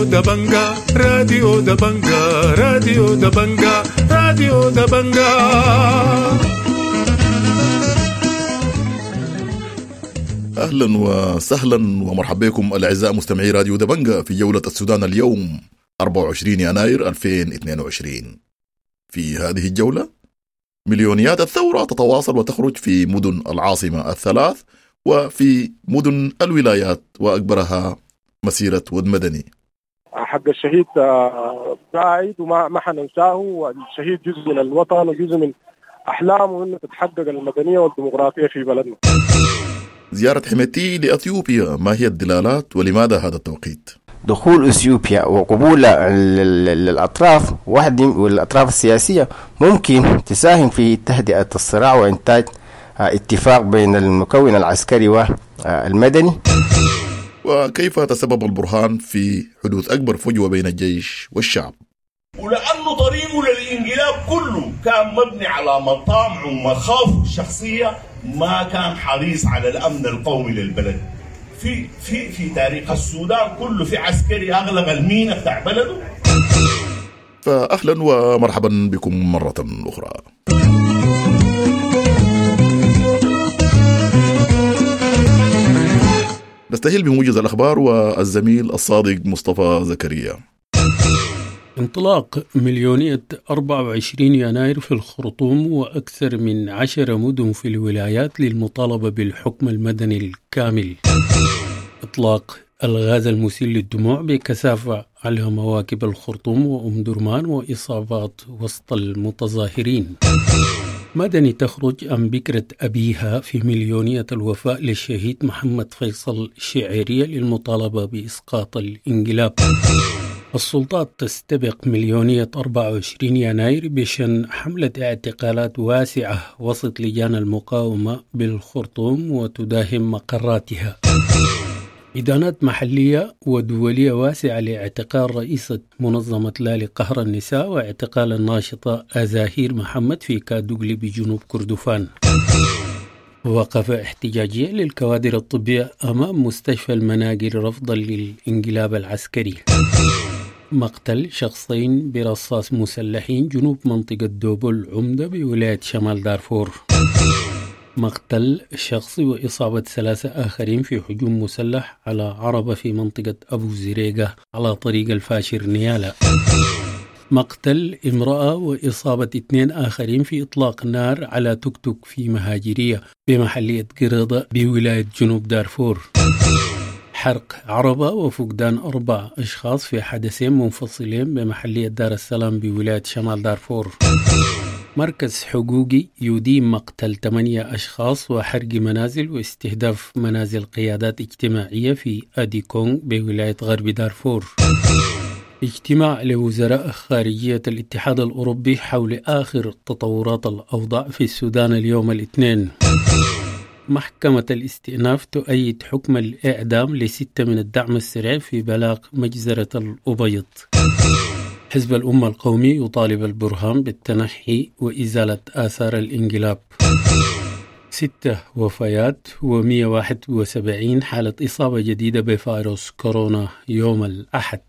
راديو دبنجا، راديو دبنجا، راديو دبنجا، راديو دبنجا. اهلا وسهلا ومرحبا بكم الاعزاء مستمعي راديو دبنجا في جولة السودان اليوم 24 يناير 2022. في هذه الجولة مليونيات الثورة تتواصل وتخرج في مدن العاصمة الثلاث وفي مدن الولايات، واكبرها مسيره ود مدني. حق الشهيد قاعد وما ما حننساه، والشهيد جزء من الوطن وجزء من احلامه انه تتحقق المدنية والديمقراطية في بلدنا. زيارة حميدتي لأثيوبيا، ما هي الدلالات ولماذا هذا التوقيت؟ دخول اثيوبيا وقبولها للاطراف واحد والاطراف السياسية ممكن تساهم في تهدئه الصراع وانتاج اتفاق بين المكون العسكري والمدني. وكيف تسبب البرهان في حدوث أكبر فجوة بين الجيش والشعب؟ ولأنه طريقه للانقلاب كله كان مبني على مطامعه ومخاوفه الشخصية، ما كان حريص على الأمن القومي للبلد. في في في تاريخ السودان كله في عسكري أغلق المينا بتاع بلده. فأهلا ومرحبا بكم مرة أخرى. نستهل بموجز الأخبار والزميل الصادق مصطفى زكريا. انطلاق مليونية 24 يناير في الخرطوم وأكثر من 10 مدن في الولايات للمطالبة بالحكم المدني الكامل. إطلاق الغاز المسيل للدموع بكثافة على مواكب الخرطوم وأم درمان وإصابات وسط المتظاهرين. مدني تخرج عن بكرة أبيها في مليونية الوفاء للشهيد محمد فيصل الشعيرية للمطالبة بإسقاط الانقلاب. السلطات تستبق مليونية 24 يناير بشن حملة اعتقالات واسعة وسط لجان المقاومة بالخرطوم وتداهم مقراتها. إدانات محلية ودولية واسعة لاعتقال رئيسة منظمة لا لقهر النساء واعتقال الناشطة أزاهير محمد في كادوغلي بجنوب كردفان. وقفة احتجاجية للكوادر الطبية أمام مستشفى المناقل رفضا للانقلاب العسكري. مقتل شخصين برصاص مسلحين جنوب منطقة دوبل عمدة بولاية شمال دارفور. مقتل شخص وإصابة 3 آخرين في هجوم مسلح على عربة في منطقة أبو زريقة على طريق الفاشر نيالا. مقتل امرأة وإصابة 2 آخرين في إطلاق نار على توك توك في مهاجرية بمحلية قريضة بولاية جنوب دارفور. حرق عربة وفقدان 4 أشخاص في حدثين منفصلين بمحلية دار السلام بولاية شمال دارفور. مركز حقوقي يدين مقتل 8 أشخاص وحرق منازل واستهداف منازل قيادات اجتماعية في أديكونغ بولاية غرب دارفور. اجتماع لوزراء خارجية الاتحاد الأوروبي حول آخر تطورات الأوضاع في السودان اليوم الاثنين. محكمة الاستئناف تؤيد حكم الإعدام ل6 من الدعم السريع في بلاغ مجزرة الأبيض. حزب الأمة القومي يطالب البرهان بالتنحي وإزالة آثار الانقلاب. 6 وفيات و171 حالة إصابة جديدة بفيروس كورونا يوم الأحد.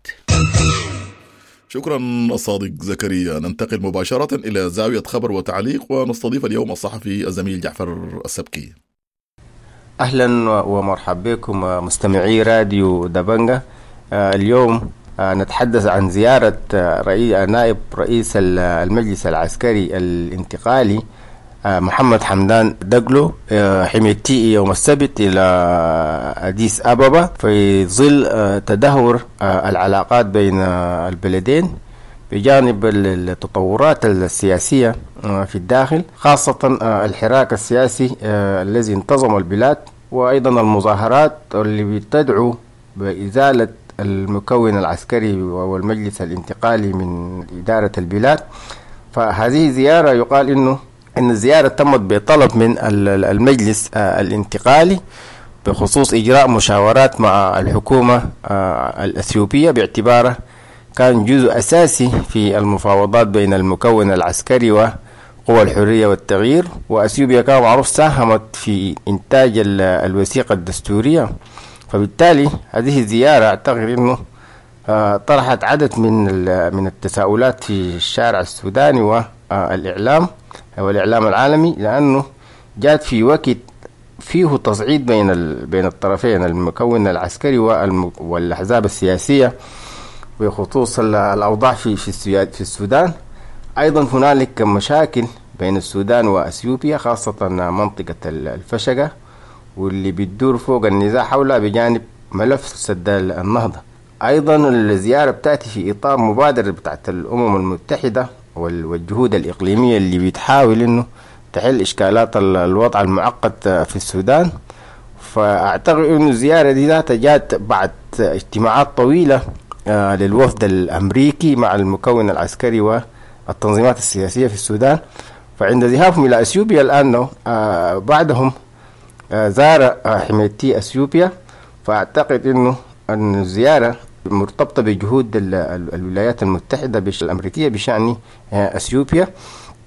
شكرا الصادق زكريا. ننتقل مباشرة إلى زاوية خبر وتعليق، ونستضيف اليوم الصحفي الزميل جعفر السبكي. أهلا ومرحبا بكم مستمعي راديو دبنجة. اليوم نتحدث عن زيارة نائب رئيس المجلس العسكري الانتقالي محمد حمدان دقلو حميدتي يوم السبت إلى أديس أبابا في ظل تدهور العلاقات بين البلدين بجانب التطورات السياسية في الداخل، خاصة الحراك السياسي الذي انتظم البلاد، وأيضا المظاهرات اللي بتدعو بإزالة المكون العسكري والمجلس الانتقالي من إدارة البلاد. فهذه زيارة يقال إن الزيارة تمت بطلب من المجلس الانتقالي بخصوص إجراء مشاورات مع الحكومة الأثيوبية، باعتباره كان جزء أساسي في المفاوضات بين المكون العسكري وقوى الحرية والتغيير. وأثيوبيا كان معروف ساهمت في إنتاج الوثيقة الدستورية، فبالتالي هذه الزيارة أعتقد أنه طرحت عدد من التساؤلات في الشارع السوداني والإعلام والإعلام العالمي، لأنه جات في وقت فيه تصعيد بين الطرفين، المكون العسكري والأحزاب السياسية، بخصوص الأوضاع في السودان. أيضا هنالك مشاكل بين السودان وأثيوبيا، خاصة منطقة الفشقة واللي بتدور فوق النزاع حولها بجانب ملف سد النهضة. أيضا الزيارة بتأتي في إطار مبادرة بتاعت الأمم المتحدة والجهود الإقليمية اللي بتحاول إنه تحل إشكالات الوضع المعقد في السودان. فأعتقد إنه الزيارة دي ذاتها جات بعد اجتماعات طويلة للوفد الأمريكي مع المكون العسكري والتنظيمات السياسية في السودان. فعند ذهابهم إلى أثيوبيا الآن بعدهم زار حميدتي أثيوبيا. فأعتقد إنه أن الزيارة مرتبطة بجهود الولايات المتحدة الأمريكية بشأن أثيوبيا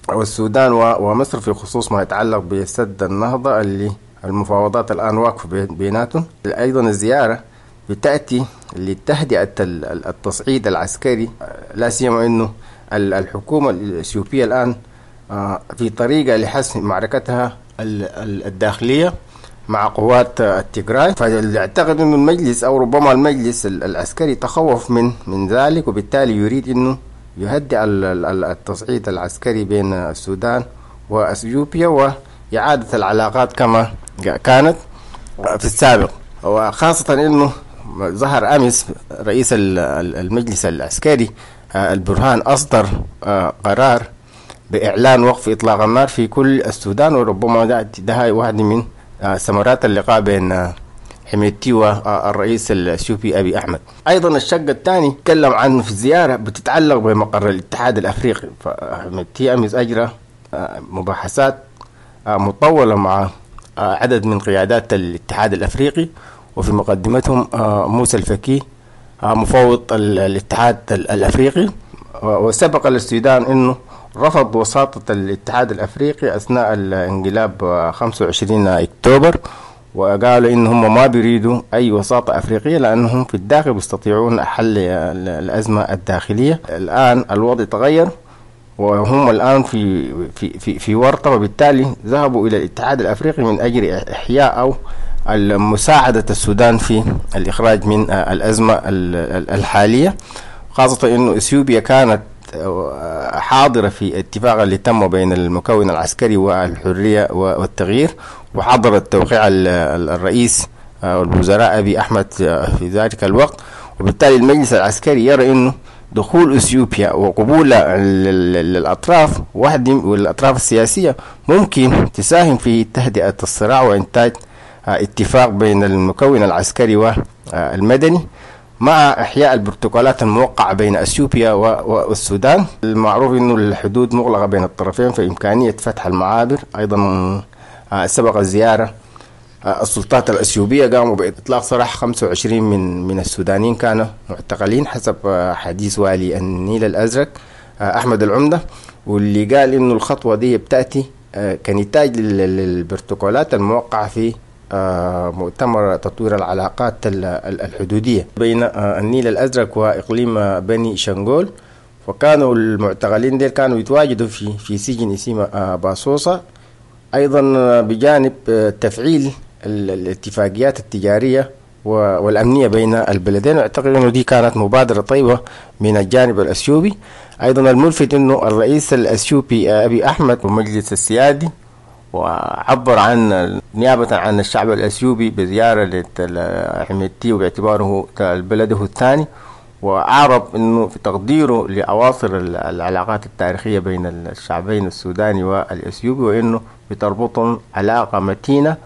والسودان ومصر في خصوص ما يتعلق بسد النهضة اللي المفاوضات الآن واقفة بيناتهم. أيضا الزيارة بتأتي لتهدئة التصعيد العسكري، لا سيما أنه الحكومة الأثيوبية الآن في طريقة لحسم معركتها الداخلية مع قوات التجراي. فاعتقد أنه المجلس أو ربما المجلس العسكري تخوف من ذلك، وبالتالي يريد أنه يهدئ التصعيد العسكري بين السودان وأثيوبيا وإعادة العلاقات كما كانت في السابق. وخاصة أنه ظهر أمس رئيس المجلس العسكري البرهان أصدر قرار بإعلان وقف إطلاق النار في كل السودان، وربما ده واحد من ثمرات اللقاء بين حميدتي والرئيس الأثيوبي أبي أحمد. أيضا الشق الثاني تكلم عنه في الزيارة بتتعلق بمقر الاتحاد الأفريقي. فحميدتي أمس أجرى مباحثات مطولة مع عدد من قيادات الاتحاد الأفريقي، وفي مقدمتهم موسى الفكي مفوض الاتحاد الأفريقي. وسبق للسودان أنه رفض وساطة الاتحاد الأفريقي أثناء الانقلاب 25 أكتوبر، وقالوا إنهم ما بيريدوا أي وساطة أفريقية لأنهم في الداخل بيستطيعون حل الأزمة الداخلية. الآن الوضع تغير وهم الآن في في في في ورطة، وبالتالي ذهبوا إلى الاتحاد الأفريقي من أجل إحياء أو مساعدة السودان في الإخراج من الأزمة الحالية، خاصة إنه إثيوبيا كانت حاضرة في اتفاق اللي تم بين المكون العسكري والحرية والتغيير، وحضرت توقيع الرئيس والوزراء أبي أحمد في ذلك الوقت. وبالتالي المجلس العسكري يرى أنه دخول أثيوبيا وقبولها للأطراف واحد والأطراف السياسية ممكن تساهم في تهدئة الصراع وإنتاج اتفاق بين المكون العسكري والمدني مع إحياء البروتوكولات الموقعة بين أثيوبيا والسودان. المعروف أنه الحدود مغلقة بين الطرفين، فإمكانية فتح المعابر. أيضا سبق الزيارة السلطات الأثيوبية قاموا بإطلاق سراح 25 من السودانيين كانوا معتقلين حسب حديث والي النيل الأزرق أحمد العمدة، واللي قال إنه الخطوة دي بتأتي كنتاج للبروتوكولات الموقعة في مؤتمر تطوير العلاقات الحدودية بين النيل الأزرق وإقليم بني شنغول. وكانوا المعتقلين ديل كانوا يتواجدوا في سجن اسمه باصوصة. أيضا بجانب تفعيل الاتفاقيات التجارية والأمنية بين البلدين، واعتقد أنه دي كانت مبادرة طيبة من الجانب الأثيوبي. أيضا الملفت أنه الرئيس الأثيوبي أبي أحمد ومجلس السيادي وعبر عن نيابة عن الشعب الأثيوبي بزيارة لحميدتي وباعتباره بلده الثاني، وأعرب أنه في تقديره لأواصر العلاقات التاريخية بين الشعبين السوداني والأثيوبي، وأنه بتربطهم علاقة متينة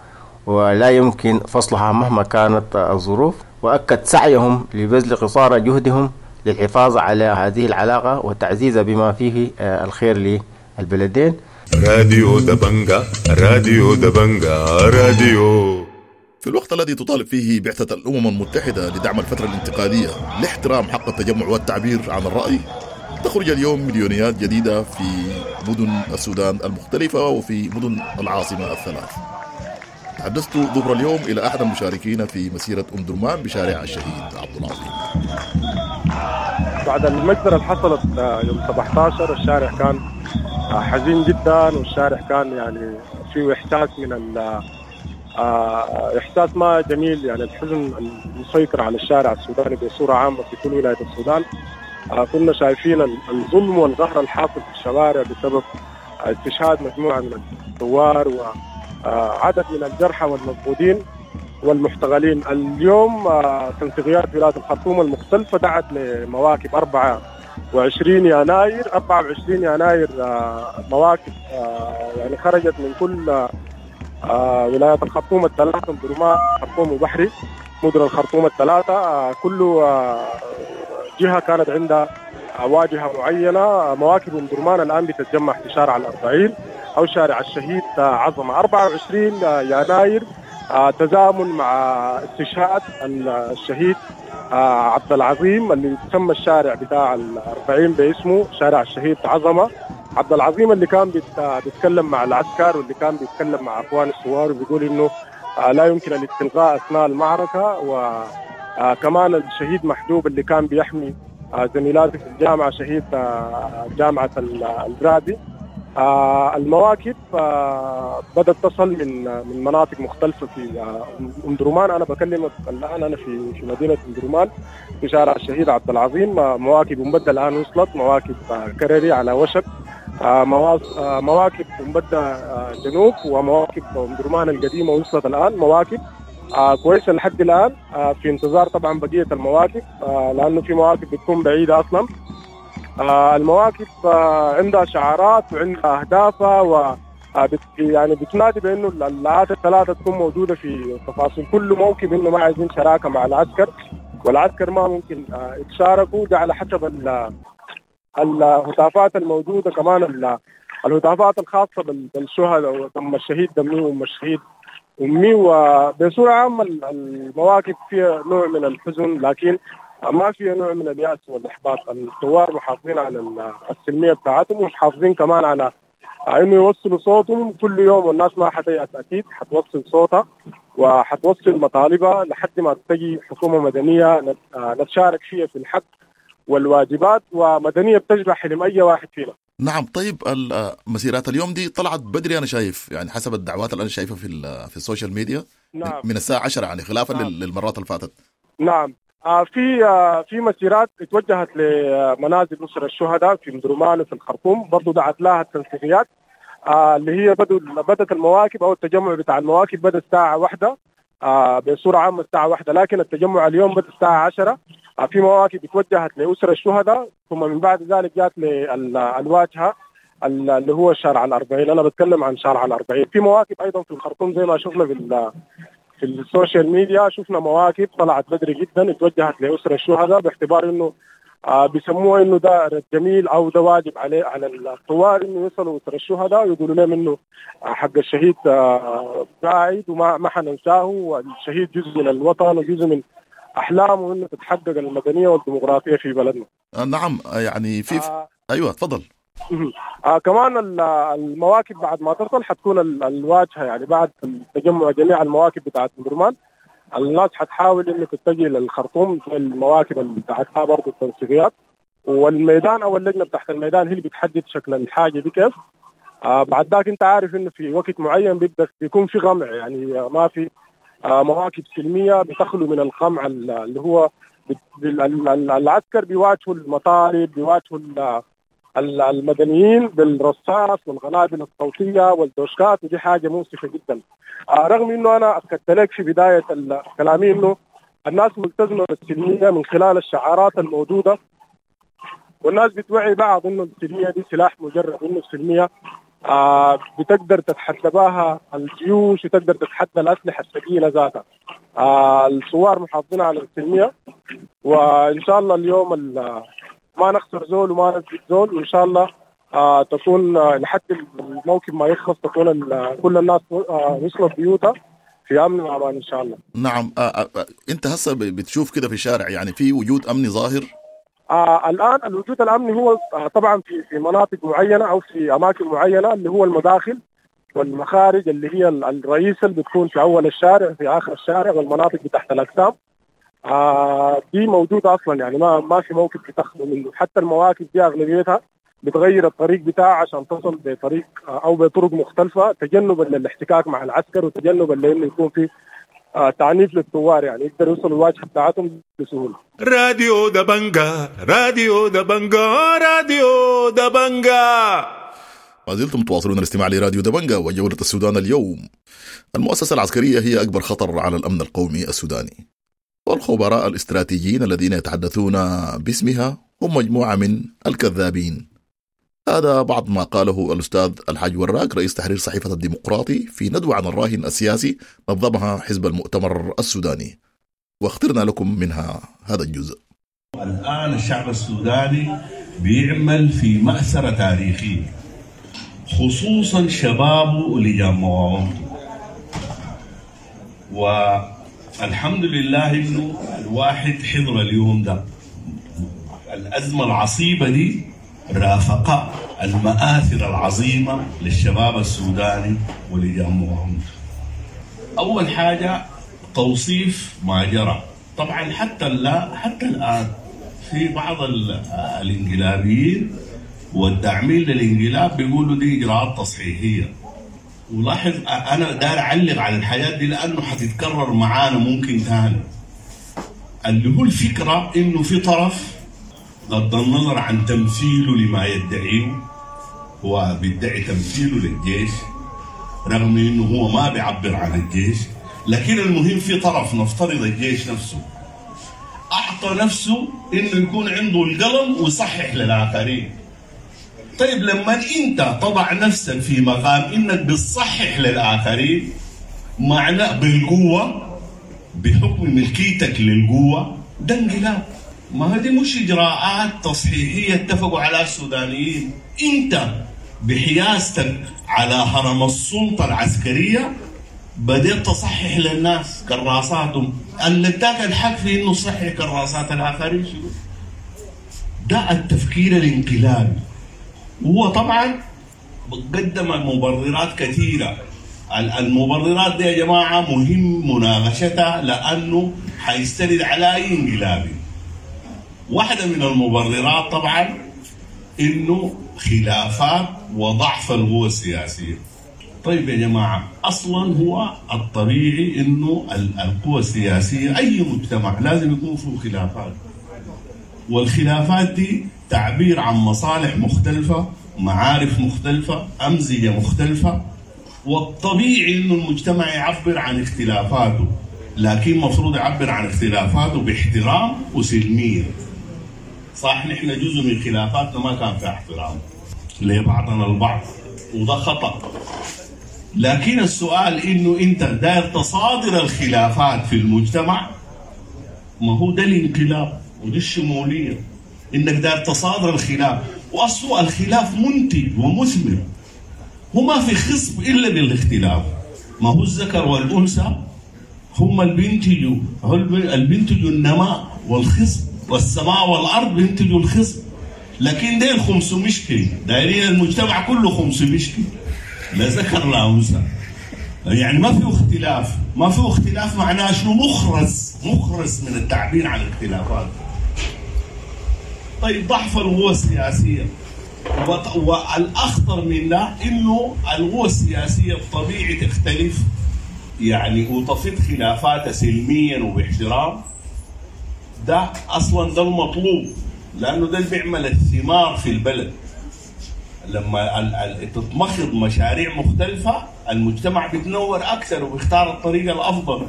ولا يمكن فصلها مهما كانت الظروف، وأكد سعيهم لبذل قصارى جهدهم للحفاظ على هذه العلاقة وتعزيزها بما فيه الخير للبلدين. راديو دبنجا، راديو دبنجا، راديو. في الوقت الذي تطالب فيه بعثة الأمم المتحدة لدعم الفترة الانتقالية لاحترام حق التجمع والتعبير عن الرأي، تخرج اليوم مليونيات جديدة في مدن السودان المختلفة وفي مدن العاصمة الثلاث. تحدثت ظهر اليوم إلى أحد المشاركين في مسيرة أم درمان بشارع الشهيد عبد العظيم. بعد المجزرة اللي حصلت يوم 17 الشارع كان حزين جدا، والشارع كان يعني فيه إحساس من إحساس ما جميل، يعني الحزن المسيطر على الشارع السوداني بصورة عامة في كل ولاية السودان. كنا شايفين الظلم والقهر الحاصل في الشوارع بسبب استشهاد مجموعة من الثوار وعدد من الجرحى والمفقودين والمحتغلين. اليوم تنسيقيات ولاية الخرطوم المختلفة دعت لمواكب 24 يناير. 24 يناير مواكب يعني خرجت من كل ولايات الخرطوم الثلاثة، درمان، الخرطوم وبحري، مدن الخرطوم الثلاثة. كل جهة كانت عندها واجهة معينة. مواكب أم درمان الآن بتتجمع في شارع الأربعين أو شارع الشهيد عظمة. 24 يناير تزامن مع استشهاد الشهيد عبد العظيم اللي تسمى الشارع بتاع الأربعين باسمه، شارع الشهيد عظمة. عبد العظيم اللي كان بيتكلم مع العسكر واللي كان بيتكلم مع أخوان الثوار وبيقول إنه لا يمكن الاستلقاء أثناء المعركة. وكمان الشهيد محجوب اللي كان بيحمي زميلاته في الجامعة، شهيد جامعة الرادي. المواكب بدأت تصل من مناطق مختلفة في أم درمان. أنا بكلمك الآن أنا في مدينة أم درمان في شارع الشهيد عبد العظيم. مواكب أم بدة الآن وصلت، مواكب كرري على وشك، مواكب أم بدة جنوب ومواكب أم درمان القديمة وصلت الآن. مواكب كويسة لحد الآن، في انتظار طبعا بقية المواكب، لأنه في مواكب بتكون بعيدة أصلا. المواكب عندها شعارات وعندها أهدافها، و يعني بتنادي بأنه الآلات الثلاثة تكون موجودة في تفاصيل كل موكب، إنه ما عايزين شراكة مع العسكر، والعسكر ما ممكن يتشاركوا. ده على حسب الهتافات الموجودة، كمان الهتافات الخاصة بالشهداء، ودم الشهيد دمي وأم الشهيد أمي. وبصورة عامة المواكب فيها نوع من الحزن، لكن ما فيها نوع من اليأس والإحباط. الثوار محافظين على السلمية بتاعتهم، ومحافظين كمان على إنه يوصلوا صوتهم كل يوم، والناس ما حتيأس أكيد، حتوصل صوتها وحتوصل مطالبها لحد ما تجي حكومة مدنية نتشارك فيها في الحق والواجبات، ومدنية بتشبه حلم أي واحد فينا. نعم. طيب مسيرات اليوم دي طلعت بدري، أنا شايف يعني حسب الدعوات اللي أنا شايفها في ال social media. نعم. من الساعة 10 يعني خلافا. نعم. للمرات اللي فاتت. نعم. في مسيرات اتوجهت لمنازل أسر الشهداء في مدرمان وفي الخرطوم، برضو دعت لها التنسيقيات، اللي هي بدت المواكب أو التجمع بتاع المواكب بدأ الساعة 1 بصورة عامة الساعة 1، لكن التجمع اليوم بدأ الساعة 10. في مواكب اتوجهت لأسر الشهداء، ثم من بعد ذلك جات للواجهة اللي هو شارع الأربعين. أنا بتكلم عن شارع الأربعين. في مواكب أيضا في الخرطوم زي ما شفنا في ال social media، شفنا مواكب طلعت بدري جدا اتوجهت لأسر الشهداء باعتبار انه بيسموه انه ده جميل او ده واجب عليه على الثوار انه يصلوا اسر الشهداء ويقولوا لهم انه حق الشهيد قاعد وما حننساه، والشهيد جزء من الوطن وجزء من احلامه انه تتحقق المدنية والديمقراطية في بلدنا. نعم. يعني في ايوه تفضل. كمان المواكب بعد ما تصل حتكون الواجهة، يعني بعد تجمع جميع المواكب بتاعت درمان الناس حتحاول انه تتجه للخرطوم في المواكب اللي بتاعتها برضه التنسيقيات، والميدان او اللجنة بتاعت الميدان هي اللي بتحدد شكل الحاجة دي كيف. بعد ذاك انت عارف انه في وقت معين بيبدا بيكون في قمع، يعني ما في مواكب سلمية بتخلو من القمع اللي هو العسكر بيواجهوا المطالب، بيواجهوا المدنيين بالرصاص والقنابل الصوتية والدوشكات، ودي حاجة مؤسفة جدا. رغم انه انا اكدت لك في بداية كلامي انه الناس ملتزمة بالسلميه من خلال الشعارات الموجودة، والناس بتوعي بعض انه السلمية دي سلاح مجرد، انه السلمية بتقدر تتحدى بها الجيوش وتقدر تتحدى الاسلحة الثقيلة ذاتها. الثوار محافظين على السلمية، وان شاء الله اليوم ما نخسر زول وما نفقد زول، وان شاء الله تكون لحد الموكب ما يخلص تكون كل الناس وصلت بيوتها في امن وامان ان شاء الله. نعم. انت هسه بتشوف كده في الشارع يعني في وجود امني ظاهر؟ الان الوجود الامني هو طبعا في مناطق معينة او في اماكن معينة، اللي هو المداخل والمخارج اللي هي الرئيسة اللي بتكون في اول الشارع في اخر الشارع والمناطق بتحت الاجسام. دي موجودة أصلا، يعني ما في موكب بتخلو منه. حتى المواكب دي أغلبيتها بتغير الطريق بتاعها عشان تصل بطريق أو بطرق مختلفة، تجنبا للاحتكاك مع العسكر وتجنبا لأنه يكون في تعنيف للثوار، يعني يقدروا يوصلوا الواجهة بتاعتهم بسهولة. راديو دبنجا، راديو دبنجا، راديو دبنجا. ما زلتم تواصلون الاستماع لراديو دبنجا وجولة السودان اليوم. المؤسسة العسكرية هي أكبر خطر على الأمن القومي السوداني، والخبراء الاستراتيجيين الذين يتحدثون باسمها هم مجموعة من الكذابين. هذا بعض ما قاله الأستاذ الحاج وراق رئيس تحرير صحيفة الديمقراطي في ندوة عن الراهن السياسي نظمها حزب المؤتمر السوداني، واخترنا لكم منها هذا الجزء. الآن الشعب السوداني بيعمل في مأسرة تاريخية، خصوصا شبابه ولجان مقاومته، والحمد لله إنه الواحد حضر اليوم ده. الأزمة العصيبة دي رافقة المآثر العظيمة للشباب السوداني ولجان مقاومته. أول حاجة توصيف ما جرى. طبعا حتى الآن في بعض الانقلابيين والداعمين للانقلاب بيقولوا دي إجراءات تصحيحية. ولاحظ أنا داير أعلق على الحاجات دي لأنه حتتكرر معانا ممكن تاني. اللي هو الفكرة إنه في طرف بغض النظر عن تمثيله لما يدعيه، هو بيدعي تمثيله للجيش رغم إنه هو ما بيعبر عن الجيش، لكن المهم في طرف نفترض الجيش نفسه أعطى نفسه إنه يكون عنده القلم ويصحح للآخرين. طيب لما أنت تضع نفسك في مقام إنك بتصحح للآخرين معنى بالقوة بحكم ملكيتك للقوة، ده انقلاب. ما هذه مش إجراءات تصحيحية اتفقوا على السودانيين. أنت بحياستك على هرم السلطة العسكرية بدأت تصحح للناس كراساتهم، اللي اداك الحق في إنه تصحح كراسات الآخرين شنو؟ ده التفكير الانقلابي. وهو طبعا قدم مبررات كثيرة. المبررات دي يا جماعة مهم مناقشتها لأنه حيستند على أي انقلابي. واحدة من المبررات طبعا إنه خلافات وضعف القوى السياسية. طيب يا جماعة، أصلا هو الطبيعي إنه القوى السياسية أي مجتمع لازم يكون فيه خلافات، والخلافات دي تعبير عن مصالح مختلفة، معارف مختلفة، أمزجة مختلفة، والطبيعي إنه المجتمع يعبر عن اختلافاته، لكن مفروض يعبر عن اختلافاته باحترام وسلمية. صح، نحن جزء من خلافاتنا ما كان فيها احترام لبعضنا البعض، وده خطأ. لكن السؤال إنه أنت داير تصادر الخلافات في المجتمع، ما هو ده الانقلاب ودي الشمولية، إنك داير تصادر الخلاف. وأصل الخلاف منتج ومثمر، هو ما في خصب إلا بالاختلاف. ما هو الذكر والأنثى هم اللي بينتجوا، اللي بينتجوا النماء والخصب، والسماء والأرض بينتجوا الخصب. لكن ديل 500 كيلو دايرين المجتمع كله 500 كيلو، لا ذكر لا أنثى، يعني ما في اختلاف. ما في اختلاف معناه شنو؟ مخرس من التعبير عن الاختلافات. طيب ضعف القوى السياسية، والأخطر من ده إنه القوى السياسية الطبيعي تختلف يعني وتفيض خلافاتها سلميا وباحترام. ده أصلا ده المطلوب، لأنه ده اللي بيعمل الثمار في البلد. لما تتمخض مشاريع مختلفة المجتمع بيتنور أكثر وبيختار الطريقة الأفضل.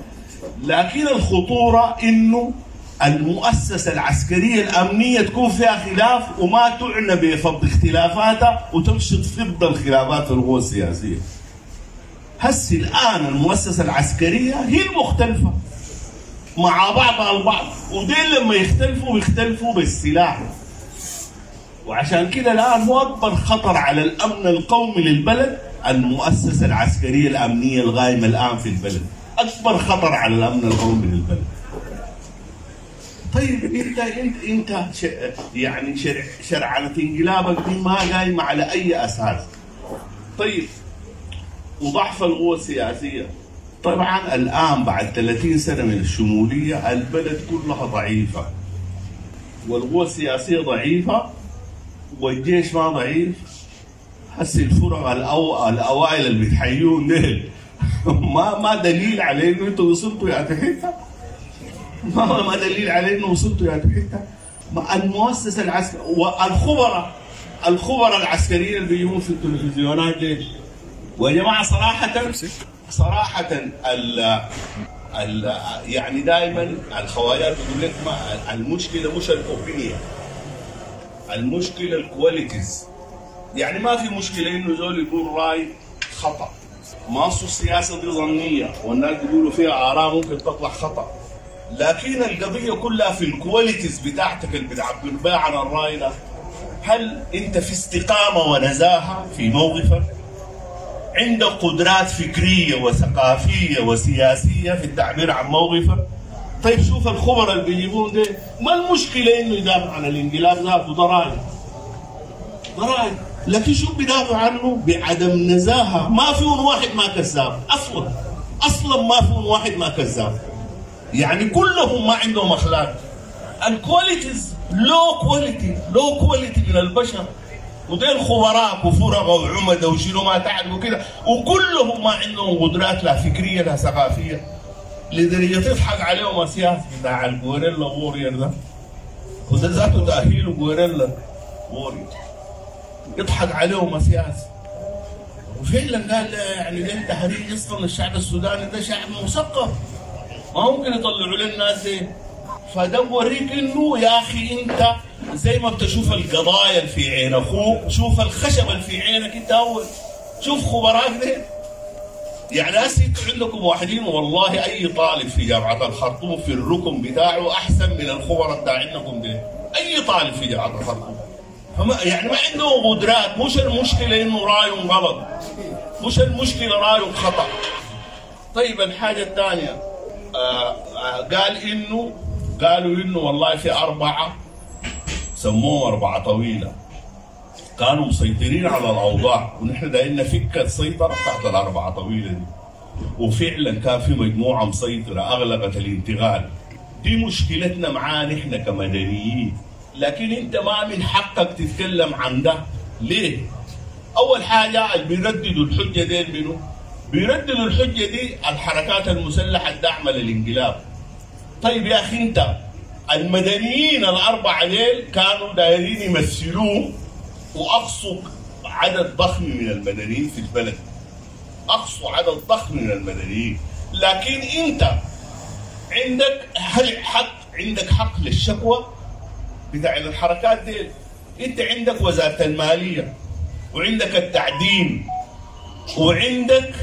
لكن الخطورة إنه المؤسسة العسكرية الأمنية تكون فيها خلاف وما تعنى بفض اختلافاتها وتمشي تفض الخلافات في القوى السياسية. هسي الآن المؤسسة العسكرية هي المختلفة مع بعضها البعض، ودين لما يختلفوا يختلفوا بالسلاح. وعشان كده الآن هو أكبر خطر على الأمن القومي للبلد المؤسسة العسكرية الأمنية الغايمة الآن في البلد، أكبر خطر على الأمن القومي للبلد. طيب انت يعني شرعنة انقلابك دي ما قايمة على أي أساس. طيب وضعف القوى السياسية، طبعا الآن بعد 30 سنة من الشمولية البلد كلها ضعيفة، والقوى السياسية ضعيفة، والجيش ما ضعيف. هسي الفرق الأوائل اللي بتحيون ديل ما دليل على إنه أنتوا وصلتوا يا حتة، ما دليل على إنه وصلتوا يا حتة. المؤسسة العسكرية والخبراء، الخبراء العسكريين اللي بيجون في التلفزيونات ديل، ويا جماعة صراحة ال يعني دائما الخواجات بيقول لك ما المشكلة مش ال opinion، المشكلة ال qualities. يعني ما في مشكلة إنه زول يقول رأي خطأ، ما أصل السياسة دي ظنية والناس بيقولوا فيها آراء ممكن تطلع خطأ، لكن القضية كلها في ال qualities بتاعتك اللي بتعبر بها عن الرأي ده. هل أنت في استقامة ونزاهة في موقفك؟ عندك قدرات فكرية وثقافية وسياسية في التعبير عن موقفك؟ طيب شوف الخبراء اللي بيجيبون ده، ما المشكلة إنه يدافع عن الانقلاب ذاته، ده رأي، ده رأي، لكن شو بيدافع عنه؟ بعدم نزاهة. ما فيهم واحد ما كذاب أصلا، ما فيهم واحد ما كذاب، يعني كلهم ما عندهم أخلاق. ال qualities low quality، low quality من البشر، وديل خبراء وفرغ وعمدة وشنو ما تعرفوا كده، وكلهم ما عندهم قدرات لا فكرية لا ثقافية، لدرجة تضحك عليهم السياسي بتاع ال guerrilla warrior ده، وده ذاته تأهيله guerrilla warrior، يضحك عليهم السياسي. وفعلا قال يعني ده تهريج اصلا، الشعب السوداني ده شعب مثقف، ما ممكن يطلعوا لنا الناس دي. فده بوريك انه يا اخي انت زي ما بتشوف القضايا اللي في عين اخوك، شوف الخشب اللي في عينك انت اول، شوف خبراك ده. يعني هسه انتوا عندكم واحدين، والله اي طالب في جامعه الخرطوم في الركن بتاعه احسن من الخبراء بتاعينكم ده، اي طالب في جامعه الخرطوم. يعني ما عندهم قدرات. مش المشكلة انه رايهم غلط، مش المشكلة رايهم خطا. طيب الحاجة الثانية، قال انه، قالوا انه والله في 4 سموهم 4 طويلة كانوا مسيطرين على الاوضاع، ونحن دايرين نفك السيطرة بتاعت ال4 طويلة دي. وفعلا كان في مجموعة مسيطرة اغلقت الانتقال. دي مشكلتنا معاه نحن كمدنيين، لكن انت ما من حقك تتكلم عن ده. ليه؟ اول حاجة اللي بيرددوا الحجة دي منو؟ بيرددوا الحجة دي الحركات المسلحة الداعمة للانقلاب. طيب يا اخي انت المدنيين ال4 ديل كانوا دايرين يمثلوه، واقصوا عدد ضخم من المدنيين في البلد، اقصوا عدد ضخم من المدنيين، لكن انت عندك هل حق، عندك حق للشكوى بتاع الحركات دي؟ انت عندك وزارة المالية، وعندك التعدين، وعندك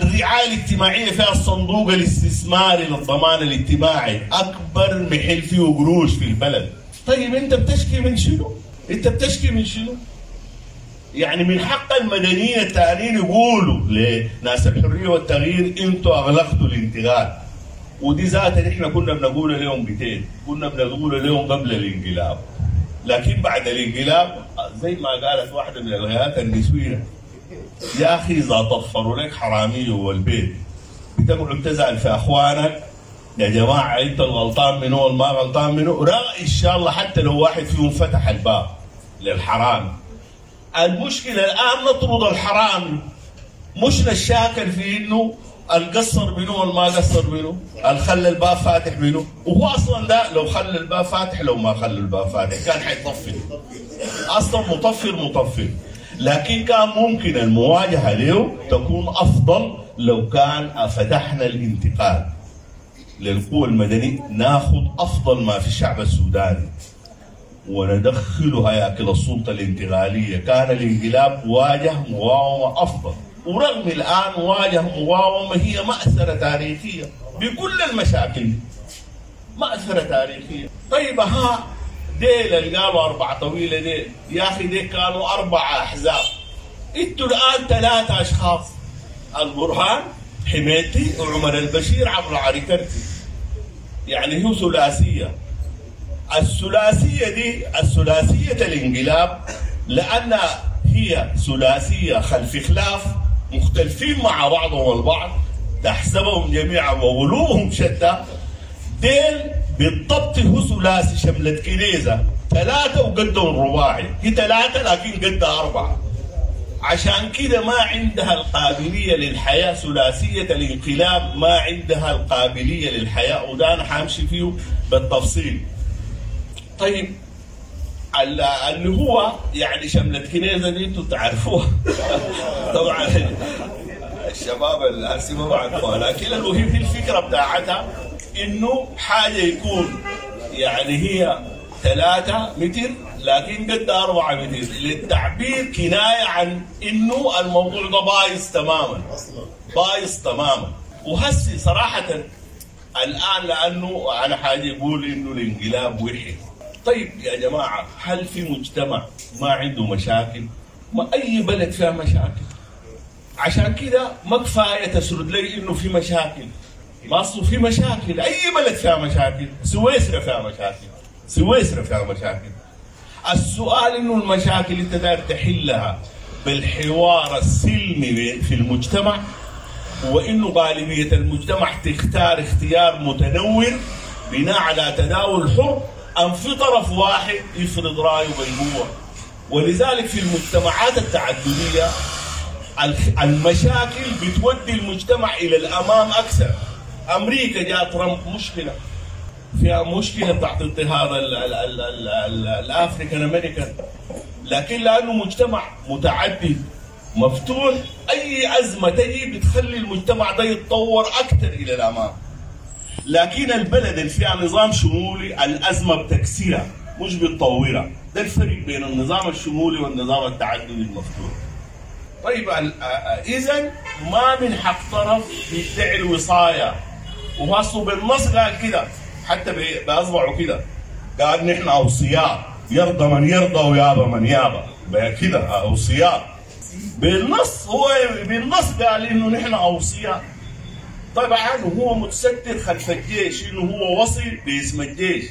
الرعاية الاجتماعية فيها الصندوق الاستثماري للضمان الاجتماعي، أكبر محل فيه قروش في البلد. طيب أنت بتشكي من شنو؟ أنت بتشكي من شنو؟ يعني من حق المدنيين التانيين يقولوا لناس الحرية والتغيير أنتوا أغلقتوا الانتقال. ودي ذاتها نحن كنا بنقول لهم بتين، كنا بنقول لهم قبل الانقلاب، لكن بعد الانقلاب زي ما قالت واحدة من الغيات النسوية، يا أخي إذا طفروا لك حرامية والبيت بتقعد تزعل في أخوانك، يا جماعة أنت الغلطان منو والما غلطان منو، رأي إن شاء الله حتى لو واحد فيهم فتح الباب للحرامي. المشكلة الآن نطرد الحرامي، مش نشاكل في إنه القصر منو والما قصر منو، الخلى الباب فاتح منو، وهو أصلا ده لو خلى الباب فاتح لو ما خلى الباب فاتح كان حيطفر، أصلا مطفر مطفر. لكن كان ممكن المواجهة له تكون أفضل لو كان فتحنا الانتقال للقوى المدنية، ناخذ أفضل ما في الشعب السوداني وندخله هياكل السلطة الانتقالية. كان الانقلاب واجه مقاومة أفضل، ورغم الآن واجه مقاومة هي مأثرة تاريخية بكل المشاكل، مأثرة تاريخية. طيب ها ديل اللي قالوا 4 طويلة ديل، يا أخي ديل كانوا 4 أحزاب، انتوا الآن 3 أشخاص، البرهان، حميتي، وعمر البشير عبر عريكرتي. يعني هو ثلاثية. الثلاثية دي الثلاثية الانقلاب، لأن هي ثلاثية خلف خلاف، مختلفين مع بعضهم البعض، تحسبهم جميعا وقلوبهم شتى. ديل بالضبط هو ثلاثي شملة كنيزة، 3 وقدهم رباعي، هي 3 لكن قدها 4. عشان كده ما عندها القابلية للحياة، ثلاثية الانقلاب ما عندها القابلية للحياة، وده أنا حامشي فيه بالتفصيل. طيب اللي هو يعني شملة كنيزة دي انتوا تعرفوها طبعا الشباب الهسي ما بعرفوها، لكن المهم في الفكرة بتاعتها انه حاجة يكون يعني هي 3 متر لكن قد 4 متر، للتعبير كناية عن انه الموضوع ده بايظ تماما، بايظ تماما. وهسي صراحة الان لانه انا حاجة يقول انه الانقلاب وحي. طيب يا جماعة، هل في مجتمع ما عنده مشاكل؟ ما اي بلد فيها مشاكل. عشان كده ما كفاية تسرد لي انه في مشاكل، ما اصله في مشاكل، اي بلد فيها مشاكل، سويسرا فيها مشاكل، سويسرا فيها مشاكل. السؤال انه المشاكل انت داير تحلها بالحوار السلمي في المجتمع، وانه غالبية المجتمع تختار اختيار متنور بناء على تداول حر، ام في طرف واحد يفرض رايه بالقوة. ولذلك في المجتمعات التعددية المشاكل بتودي المجتمع الى الامام اكثر. امريكا جاء ترامب مشكلة، فيها مشكلة تحت اضطهاد ال African American، لكن لانه مجتمع متعدد مفتوح، اي ازمة تجي بتخلي المجتمع ده يتطور اكثر الى الامام. لكن البلد اللي فيها نظام شمولي الازمة بتكسرها مش بتطورها. ده الفرق بين النظام الشمولي والنظام التعددي المفتوح. طيب اذا ما من حق طرف يدعي الوصايه، وهصوا بالنص قال كده، حتى باصبعه كده قال نحن اوصياء، يرضى من يرضى ويابى من يابى، كده اوصياء بالنص. هو بالنص قال انه نحن اوصياء. طبعا هو متستر خلف الجيش انه هو وصي باسم الجيش.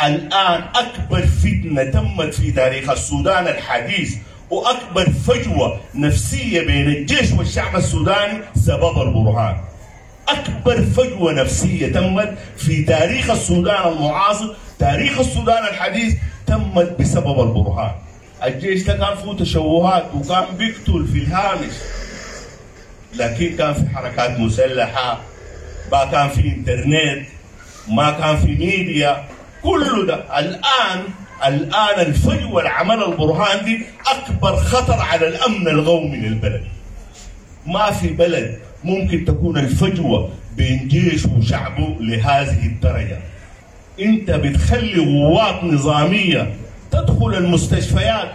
الان اكبر فتنة تمت في تاريخ السودان الحديث واكبر فجوة نفسية بين الجيش والشعب السوداني سبب البرهان. اكبر فجوة نفسية تمت في تاريخ السودان المعاصر، تاريخ السودان الحديث، تمت بسبب البرهان. الجيش ده كان فيه تشوهات وكان بيقتل في الهامش، لكن كان في حركات مسلحة، ما كان في انترنت، ما كان في ميديا، كله ده. الآن الفجوة العمل البرهان دي أكبر خطر على الأمن القومي للبلد. ما في بلد ممكن تكون الفجوة بين جيشه وشعبه لهذه الدرجة. أنت بتخلي قوات نظامية تدخل المستشفيات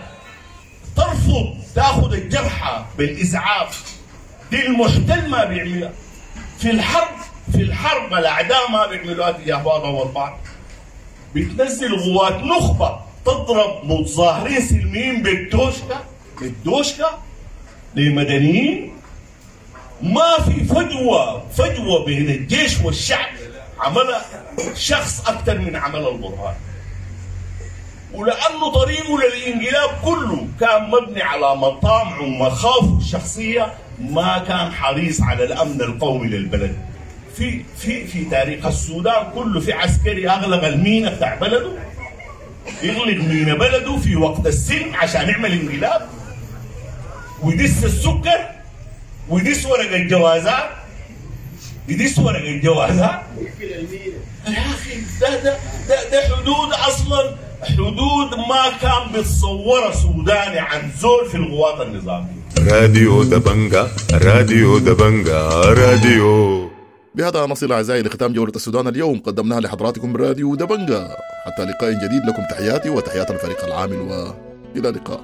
ترفض تاخذ الجرحى بالإسعاف، دي المحتل ما بيعملها. في الحرب الأعداء ما بيعملوها تجاه بعضهم البعض. بتنزل قوات نخبة تضرب متظاهرين سلميين بالدوشكا لمدنيين. ما في فجوة بين الجيش والشعب عملها شخص أكثر من عمل البرهان. ولأنه طريقه للانقلاب كله كان مبني على مطامعه ومخاوفه الشخصية، ما كان حريص على الأمن القومي للبلد. في في في تاريخ السودان كله في عسكري أغلق المينا بتاع بلده، يغلق مينا بلده في وقت السلم عشان يعمل انقلاب، ويدس السكر ويدس ورق الجوازات، يدس ورق الجوازات. يا أخي ده ده ده, ده حدود أصلا، حدود ما كان بتصورها سوداني عن زول في القوات النظامية. راديو دبنجا، راديو دبنجا، راديو. بهذا نصل أعزائي لختام جولة السودان اليوم، قدمناها لحضراتكم من راديو دبنجا. حتى لقاء جديد، لكم تحياتي وتحيات الفريق العامل، وإلى اللقاء.